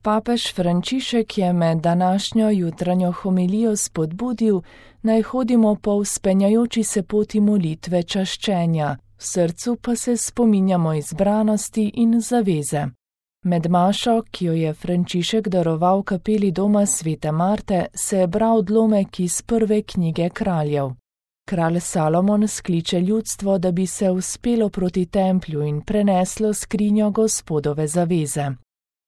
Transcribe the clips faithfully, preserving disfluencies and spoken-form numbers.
Papež Frančišek je med današnjo jutranjo homilijo spodbudil, naj hodimo po vzpenjajoči se poti molitve čaščenja, v srcu pa se spominjamo izbranosti in zaveze. Med mašo, ki jo je Frančišek daroval kapeli doma svete Marte, se je bral odlomek iz prve knjige kraljev. Kralj Salomon skliče ljudstvo, da bi se uspelo proti templju in preneslo skrinjo Gospodove zaveze.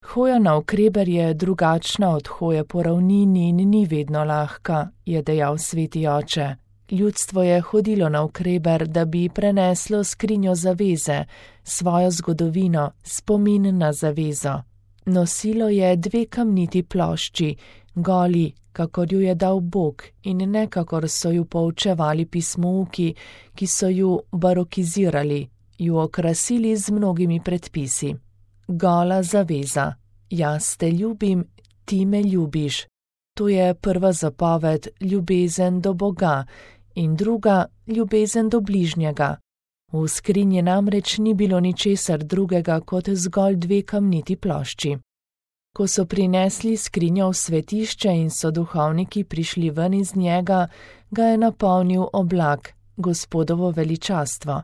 Hoja navkreber je drugačna od hoje po ravnini in ni vedno lahka, je dejal sveti oče. Ljudstvo je hodilo navkreber, da bi preneslo skrinjo zaveze, svojo zgodovino, spomin na zavezo. Nosilo je dve kamniti plošči, goli, kakor ju je dal Bog, in ne kakor so ju poučevali pismouki, ki so ju barokizirali, ju okrasili z mnogimi predpisi. Gola zaveza. Jaz te ljubim, ti me ljubiš. To je prva zapoved, ljubezen do Boga, in druga, ljubezen do bližnjega. V skrinji namreč ni bilo ničesar drugega kot zgolj dve kamniti plošči. Ko so prinesli skrinjo v svetišče in so duhovniki prišli ven iz njega, ga je napolnil oblak, Gospodovo veličastvo.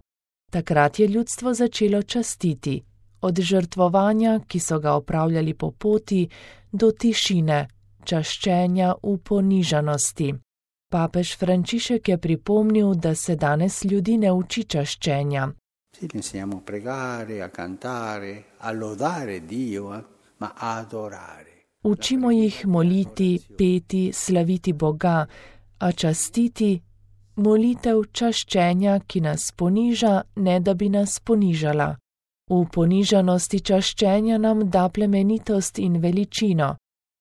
Takrat je ljudstvo začelo častiti, od žrtvovanja, ki so ga opravljali po poti, do tišine, čaščenja v ponižanosti. Papež Frančišek je pripomnil, da se danes ljudi ne uči čaščenja. Učimo jih moliti, peti, slaviti Boga, a častiti, molitev čaščenja, ki nas poniža, ne da bi nas ponižala. V ponižanosti čaščenja nam da plemenitost in veličino.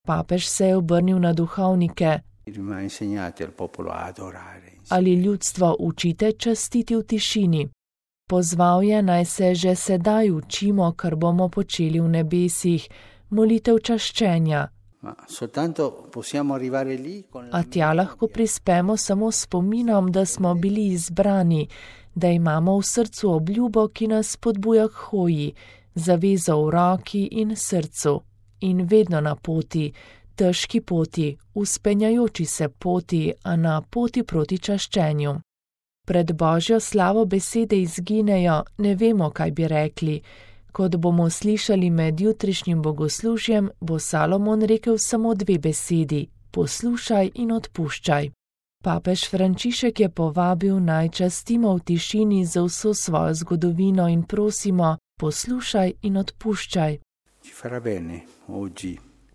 Papež se je obrnil na duhovnike. Ali ljudstvo učite častiti v tišini? Pozval je, naj se že sedaj učimo, kar bomo počeli v nebesih, molitev čaščenja. A tja lahko prispemo samo spominom, da smo bili izbrani, da imamo v srcu obljubo, ki nas spodbuja k hoji, zavezo v roki in srcu, in vedno na poti, težki poti, vzpenjajoči se poti, a na poti proti čaščenju. Pred Božjo slavo besede izginejo, ne vemo, kaj bi rekli. Kot bomo slišali med jutrišnjim bogoslužjem, bo Salomon rekel samo dve besedi, poslušaj in odpuščaj. Papež Frančišek je povabil, naj častimo v tišini za vso svojo zgodovino in prosimo, poslušaj in odpuščaj.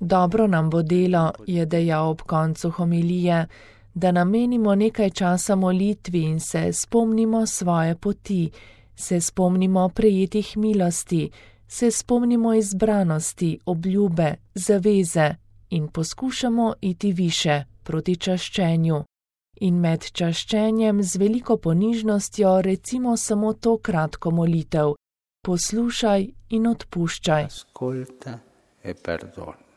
Dobro nam bo delo, je dejal ob koncu homilije, da namenimo nekaj časa molitvi in se spomnimo svoje poti, se spomnimo prejetih milosti, se spomnimo izbranosti, obljube, zaveze in poskušamo iti više proti čaščenju. In med čaščenjem z veliko ponižnostjo recimo samo to kratko molitev: poslušaj in odpuščaj.